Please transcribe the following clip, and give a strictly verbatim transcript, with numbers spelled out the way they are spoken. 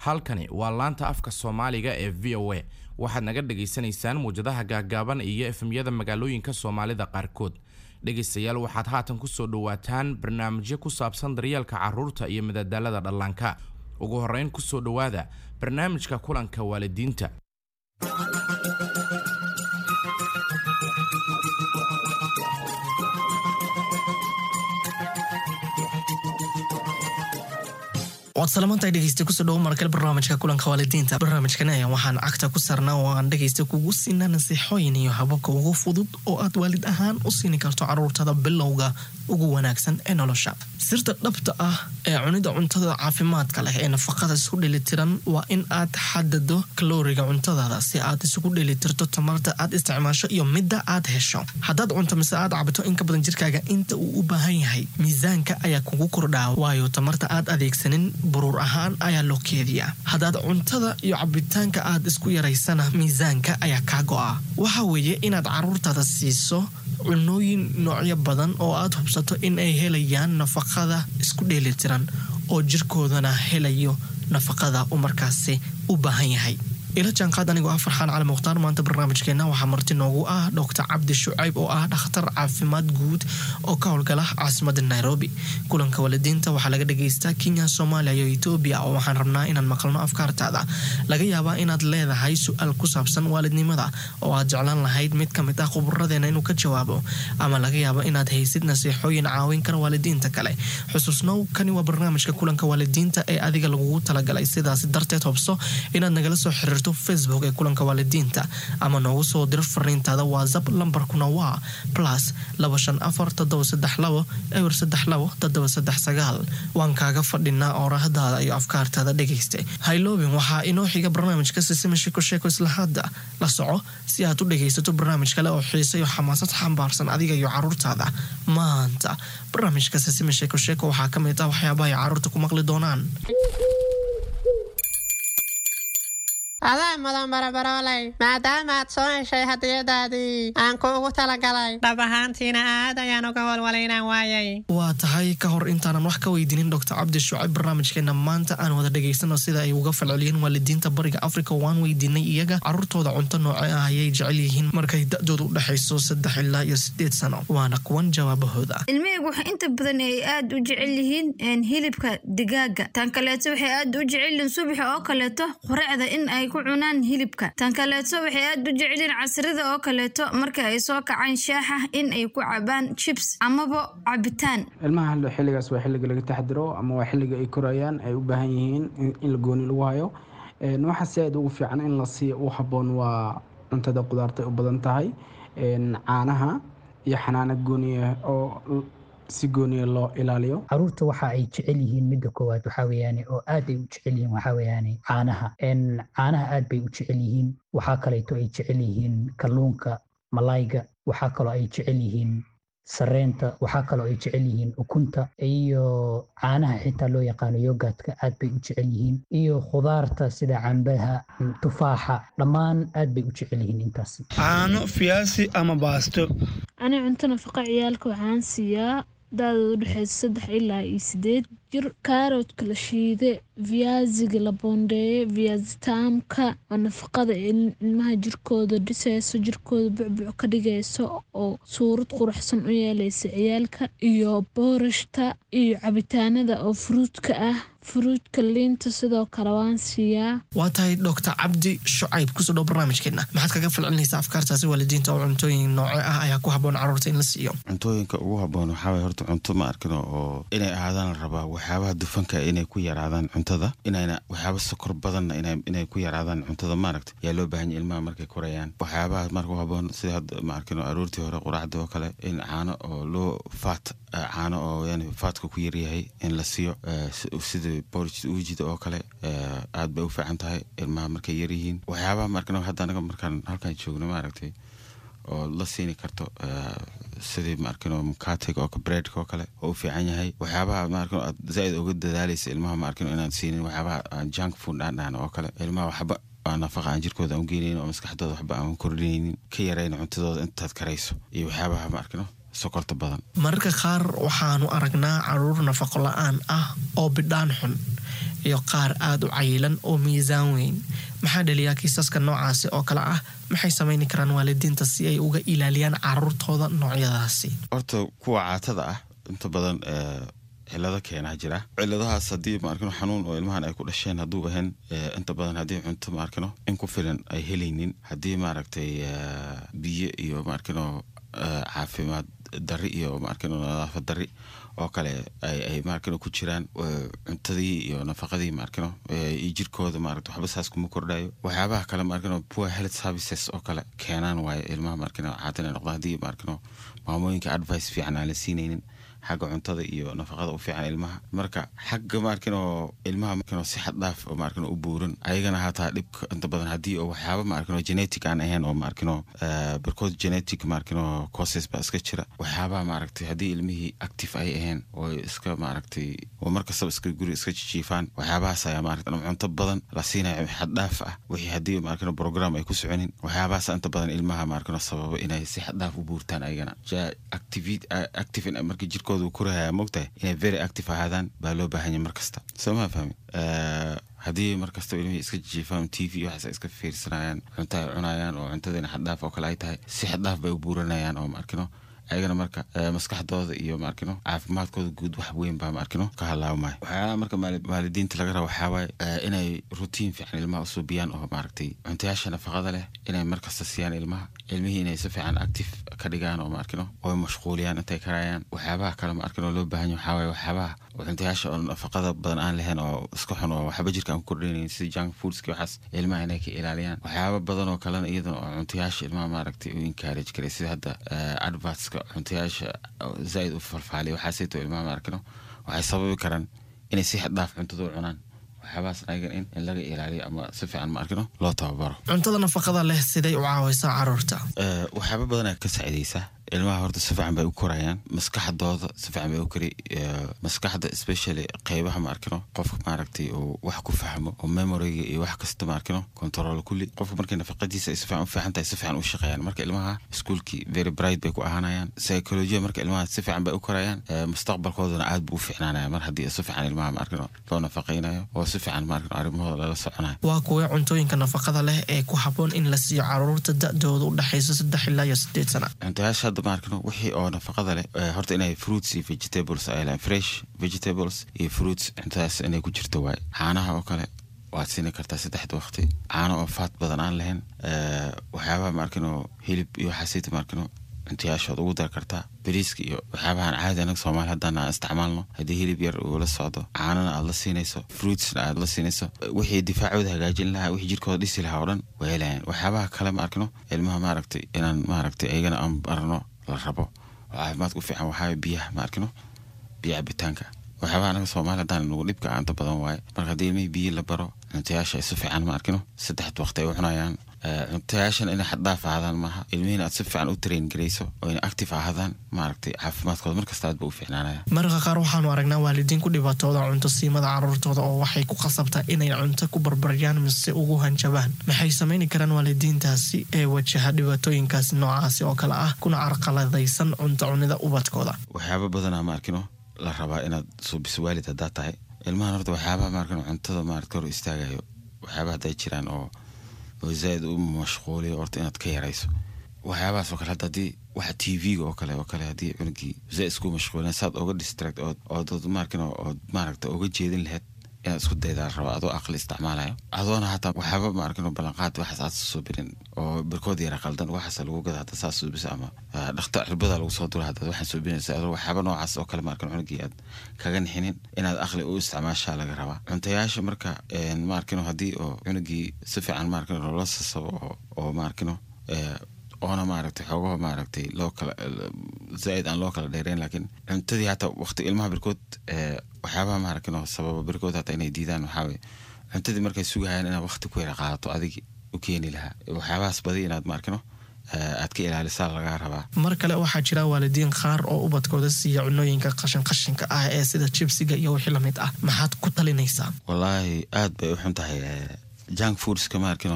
Halkani waa laanta afka Soomaaliga ee V O A. Waxaad naga dhagaysanaysaan muwjadaha gaagaaban iyo F M-yada magaalooyinka Soomaalida qaarkood. Dhegaystayaal, waxaad haatan kusoo dhawaataan barnaamijyo ku saabsan daryeelka carruurta iyo madadaalada dhallaanka. Ugu horreyn, kusoo dhowaada barnaamijka kulanka waalidiinta. Waad salamantahay, dhegeysta. Kusoo dhawo markale barnaamijka kulanka waalidiinta. Barnaamijkan ayaa waxaan cagta ku saarnaa oo aan dhegeysta kugu siinaa nasiixooyin iyo hababka ugu fudud oo aad waalid ahaan u siini karto caruurtada bilowga ugu wanaagsan ee nolosha. Sirta dhabta ah ee cunida cuntada caafimaadka leh ee nafaqada isku dheelitiran waa in aad xadado kalooriga cuntadaada si aad isugu dheelitirto tamarta aad isticmaasho iyo midda aad hesho. Haddaad cunto mise aad cabto in ka badan jirkaaga inta uu u baahan yahay, miisaanka ayaa kugu kordhaa, waayo tamarta aad adeegsanin buruur ahaan ayaa loo keediyaa. Haddaad cuntada iyo cabitaanka aad isku yaraysana, miisaanka ayaa kaa go'a. Waxa weeye inaad caruurtaada siiso cunooyin noocyo badan oo aad hubsato in ay helayaan nafaqada isku dheelitiran oo jirkoodana helayo nafaqada uu markaasi u baahan yahay. Ila jaanqaad anigoo ah Farxaan Cali Mukhtaar. Maanta barnaamijkeena waxaa marti noogu ah Doctor Cabdi Shucayb oo ah dhakhtar caafimaad guud oo ka howlgala caasimada Nairobi. Kulanka waalidiinta waxaa laga dhageystaa Kenya, Soomaaliya iyo Etoobiya, oo waxaan rabnaa inaan maqalno afkaartaada. Laga yaabaa inaad leedahay su-aal ku saabsan waalidnimada oo aad jeclaan lahayd mid ka mid ah khuburadeena inuu ka jawaabo, ama laga yaabo inaad haysid nasiixooyin caawin kara waalidiinta kale. Xusuusnow, kani waa barnaamijka kulanka waalidiinta ee adiga lagugu talagalay. Sidaas darteed, hubso inaad nagala soo xiriirto Facebook ee kulanka waalidiinta ama noogu soo diro fariintaada WhatsApp. Lambarkuna waa plus laba shan afar toddoba saddex labo eber saddex labo toddoba saddex sagaal. Waan kaaga fadhinaa oorahdaada iyo afkaartaada. Dhegayste, hayloobin, waxaa inoo xiga barnaamijka Sisima Sheeko Sheeko. Isla hadda la soco si aad u dhegaysato barnaamij kale oo xiise iyo xamaasad xambaarsan adiga iyo caruurtaada. Maanta barnaamijka Sisima Sheeko Sheeko waxaa ka mid ah waxyaabaha ay caruurta ku maqli doonaan. Adaa mudan, barabarooley, maadaama aad soo heshay hadiyadaadii aan kuugu talagalay. Dhab ahaantiina aad ayaan uga walwalay inaan waayay. Waa tahay. Ka hor intaanan wax ka weydiinin Doctor Cabdi Shucayb barnaamijkeena maanta, aan wada dhegaysano sida ay uga falceliyeen waalidiinta Bariga Africa. Waan weydiinay iyaga caruurtooda cunto nooce ah ayay jecel yihiin markay da-doodu u dhexayso saddex ilaa iyo sideed sano. Waana kuwan jawaabahooda. Ilmahaygu waxay inta badan ay aad u jecel yihiin hilibka digaaga. Tan kaleeto, waxay aad u jecel yihiin subaxa oo kaleeto quraacda in ay ku cunaan hilibka. Tan kaleeto, waxay aad u jecel yihiin casrida oo kaleeto marka ay soo kacaan shaaxa in ay ku cabaan chips amaba cabitaan. Ilmaha xilligaas waa xilliga laga taxadiro ama waa xilliga ay korayaan, ay u baahan yihiin in la gooni lagu hayo. Waxa si aad ugu fiican in la siiyo u habboon waa cuntada qudaarta u badan tahay, caanaha iyo xanaano gooniya oo si gooniya loo ilaaliyo. Caruurta waxa ay jecel yihiin, midda koowaad waxaa weeyaane oo aad ay u jecel yihiin, waxaa weeyaane caanaha. Caanaha aad bay u jecel yihiin. Waxaa kaleeto ay jecel yihiin kalluunka, malayga. Waxaa kaloo ay jecel yihiin sareenta. Waxaa kaloo ay jecel yihiin ukunta iyo caanaha xitaa loo yaqaano yogurtka, aad bay u jecel yihiin, iyo khudaarta sida cambaha, tufaaxa, dhammaan aad bay u jecel yihiin intaasi. Caano, fiyaasi ama baasto. Ani cunto nafaqa ciyaalka waxaan siiyaa da-dooda udhexeysa saddex ilaa iyo sideed jir kaaroodka la shiide, viaziga la boondeeye, viazi taamka oo nafaqada ilmaha jirkooda dhiseyso, jirkooda bucbuc ka dhigeyso oo suurad quruxsan u yeeleysa ciyaalka, iyo boorashta iyo cabitaanada oo fruitka ah, fruitka, liinta sidoo kale waan siiyaa. Waa tahay. Doctor Cabdi Shucayb, kusoo dhow barnaamijkeena. Maxaad kaga falcelinaysaa afkaartaasi waalidiinta oo cuntooyin nooce ah ayaa ku habboon caruurta in la siiyo? Cuntooyinka ugu habboon waxaa waye horta cunto, ma arkino, oo inay ahaadaan la rabaa waxyaabaha dufanka inay ku yaraadaan cuntada, inayna waxyaaba sokor badanna inay ku yaraadaan cuntada, maaragta, yaa loo baahan yahay ilmaha markay korayaan. Waxyaabaha marka u habboon sida hadda, ma arkino, aroortii hore quraacda oo kale in caano oo loo fat, caano oo yani fatka ku yaryahay in la siiyo, sida porridge uujida oo kale, aad bay u fiican tahay ilmaha markay yaryihiin. Waxyaabaha, ma arkino, hadda anaga markaan halkaan joogno, maaragtay, oo la siini karto sidii, ma arkino, mkatega oo breadka oo kale oo u fiican yahay. Waxyaabaha, ma arkino, aad zaaid uga dadaalaysa ilmaha, ma arkino, inaad siinin waxyaabaha aan junk food aan dhahno oo kale. Ilmaha waxba aan nafaqa aan jirkooda aan u geynaynin oo maskaxdooda waxba aan kordhinaynin, ka yarayna cuntadooda intaad karayso, iyo waxyaabaha, ma arkino, sokorta badan. Mararka qaar waxaanu aragnaa caruur nafaqo la-aan ah oo bidhaan xun. iyo qaar aada u cayilan oo miisaan weyn. Maxaa dhaliyaa kiisaska noocaasi oo kale ah? Maxay samayni karaan waalidiinta si ay uga ilaaliyaan caruurtooda noocyadaasi? Horta kuwa caatada ah inta badan cilado keenaa jira. Ciladahaas haddii maarkino xanuun oo ilmahan ay ku dhasheen hadduu ahayn, inta badan haddii cunto maarkino in ku filan ay helaynin, haddii maaragtay biyo iyo maarkino caafimaad dari iyo maarkino nadaafad dari oo kale ay maarkino ku jiraan, cuntadii iyo nafaqadii maarkino iyo jirkooda maaragta waxba saas kuma kordhayo. Waxyaabaha kale maarkino poor health services oo kale keenaan waaye ilmaha maarkino caata inay noqdaan, haddii maarkino maamooyinka advice fiican aan la siinaynin xagga cuntada iyo nafaqada u fiican ilmaha. Marka xagga maarkino ilmaha maarkino si xad dhaaf oo maarkino u buuran ayagana hataa dhibka inta badan haddii oo waxyaaba maarkino genetic aan ahayn oo maarkino barkood genetic maarkino causes baa iska jira. Waxyaabaha maaragtay haddii ilmihii active ay ahayn oo iska maaragtay oo markastaba iska guri iska jijiifaan, waxyaabahaas ayaa maaragtay ama cunto badan la siinayo xad dhaaf ah, wixii haddii maarkino program ay ku soconin, waxyaabahaas inta badan ilmaha maarkino sababa inay si xad dhaaf u buurtaan ayagana. Active active markii jirkooda uu korahaya, mogtahay inay very active ahaadaan baa loo baahan yahay markasta, soo ma fahmi? Haddii markasta ilmihii iska jiifaan, T V waxaas ay iska fiirsanayaan, cunto ay cunayaan oo cuntadiina xaddhaaf oo kale ay tahay, si xaddhaaf bay u buuranayaan oo maarkino ayagana marka maskaxdooda iyo maarkino caafimaadkooda guud wax weyn baa maarkino ka halaabmaya. Waxyaalaha marka waalidiinta laga raba waxaa waaye inay routine fiican ilmaha usuubiyaan oo maaragtay cuntayaasha nafaqada leh inay markasta siiyaan ilmaha, ilmihii inay si fiican active ka dhigaan oo maarkino oo mashquuliyaan intay karayaan. Waxyaabaha kale maarkino loo baahan yahay waxaa waaye waxyaabaha cuntayaasha oo nafaqada badan aan lahayn oo iska xun oo waxba jirka aan ku kordhinaynin, sida junk foodski, waxaas ilmaha inay ka ilaaliyaan. Waxyaaba badan oo kalena iyadana oo cuntayaasha ilmaha maaragtay u encourage karay, sida hadda advertska cuntayaasha zaaid u falfaaliya, waxaasayto ilmaha maarkino waxay sababi karaan inay si xad dhaaf cuntada u cunaan. Waxyaabahaas ayagan in in laga ilaaliyo ama si fiican maarkino loo tababaro. Cuntada nafaqada leh siday u caawaysaa caruurta? Waxyaaba badanaa ka saacidaysa ilmaha. Horta si fiican bay u korayaan, maskaxdooda si fiican bay u kori, maskaxda especially qeybaha maarkino qofka maaragtay uu wax ku fahmo oo memoryga iyo wax kasta maarkino control kulli. Qofka markay nafaqadiisa ay si fiican u fiican tahay, si fiican u shaqeeyaan. Marka ilmaha iskuulkii very bright bay ku ahaanayaan, psychology marka ilmaha si fiican bay u korayaan, mustaqbalkoodana aad buu u fiicnaanaya mar haddii si fiican ilmaha maarkino loo nafaqeynayo oo si fiican maarkino arrimahooda lala soconayo. Waa kuwee cuntooyinka nafaqada leh ee ku habboon in la siiyo caruurta da'dooda u dhexayso saddex ilaa iyo sideed sana? Cuntayaasha hadda maarkino wixii oo nafaqada leh, horta inay fruits iyo vegetables ay lehan, fresh vegetables iyo fruits, cuntadaas inay ku jirto waaye. Caanaha oo kale waad siini kartaa saddexda waqti, caano oo faat badan aan lahayn. Waxyaabaha maarkino hilib iyo waxaasayta maarkino cuntayaashood ugu dar kartaa. Bariiska iyo waxyaabahan caadi anaga Soomaali haddaan aan isticmaalno, haddii hilib yar uu la socdo, caanana aad la siinayso, fruitsna aad la siinayso, wixii difaacooda hagaajin lahaa, wixii jirkooda dhisi lahaa oo dhan way helayaan. Waxyaabaha kale ma arkino ilmaha maaragtay inaan maaragtay ayagana aan barno la rabo oo caafimaadka u fiican waxaa biyaha ma arkino, biyo cabitaanka. Waxyaabaha anaga Soomaali haddaan nagu dhibka inta badan waaye. Marka haddii ilmihii biyo la baro, cuntayaasha ay si fiican ma arkino saddexda waqti ay u cunayaan, cuntayaashan inay xad dhaaf ahaadaan maaha, ilmihiina aad si fiican u train garayso oo inay active ahaadaan, maaragtay caafimaadkooda markasta aad ba u fiicnaanaya. Mararka qaar waxaanu aragnaa waalidiin ku dhibaatooda cunto siimada caruurtooda oo waxay ku khasabtaa inay cunto ku barbaryaan mise ugu hanjabaan. Maxay samayni karaan waalidiintaasi ee wajaha dhibaatooyinkaasi noocaasi oo kale ah kuna carqaladaysan cunto cunida ubadkooda? Waxyaaba badanaa ma arkino la rabaa inaad suubiso waalid haddaad tahay ilmahan. Horta waxyaabaha maarkino cuntada maarata hor istaagayo, waxyaabaha hadday jiraan oo oo zaaid u mashquuliyo, horta inaad ka yarayso waxyaabahaas oo kale. Hadda haddii waxa T V-ga oo kale oo kale haddii cunugii zaaid isku mashquulin, saad oga distract ood ood maarkino ood maaragta oga jeedin lahayd inaad isku daydaa raba, adoo aqli isticmaalayo, adoona hataa waxyaaba maarkino ballanqaad waxaas aad soo birin oo barkood yara qaldan waxaas lagu gada hadda saas suubisa ama dhakta cirbada lagu soo dura haddaad waxaan suubinaysa, adoo waxyaaba noocaas oo kale maarkino cunugii aad kaga nixinin, inaad aqli u isticmaashaa laga rabaa cuntayaasha. Marka maarkino haddii oo cunugii si fiican maarkino loola sasabo oo oo maarkino oona maaragtay xoogaha maaragtay loo kala zaaid aan loo kala dheereyn, laakiin cuntadii hataa waqti ilmaha barkood waxyaabaha maaragtay sababa barkood hataa inay diidaan waxaa waye cuntadii markay sugayaan inaad waqti ku yara qaadato adigi u keeni lahaa, waxyaabahaas badi inaad maarkino aad ka ilaalisaa lagaa rabaa. Mar kale waxaa jira waalidiin qaar oo ubadkooda siiya cunooyinka qashin qashinka ah ee sida jibsiga iyo wixii lamid ah. Maxaad ku talinaysaa? Wallaahi aad bay u xun tahay junk foodska maarkino.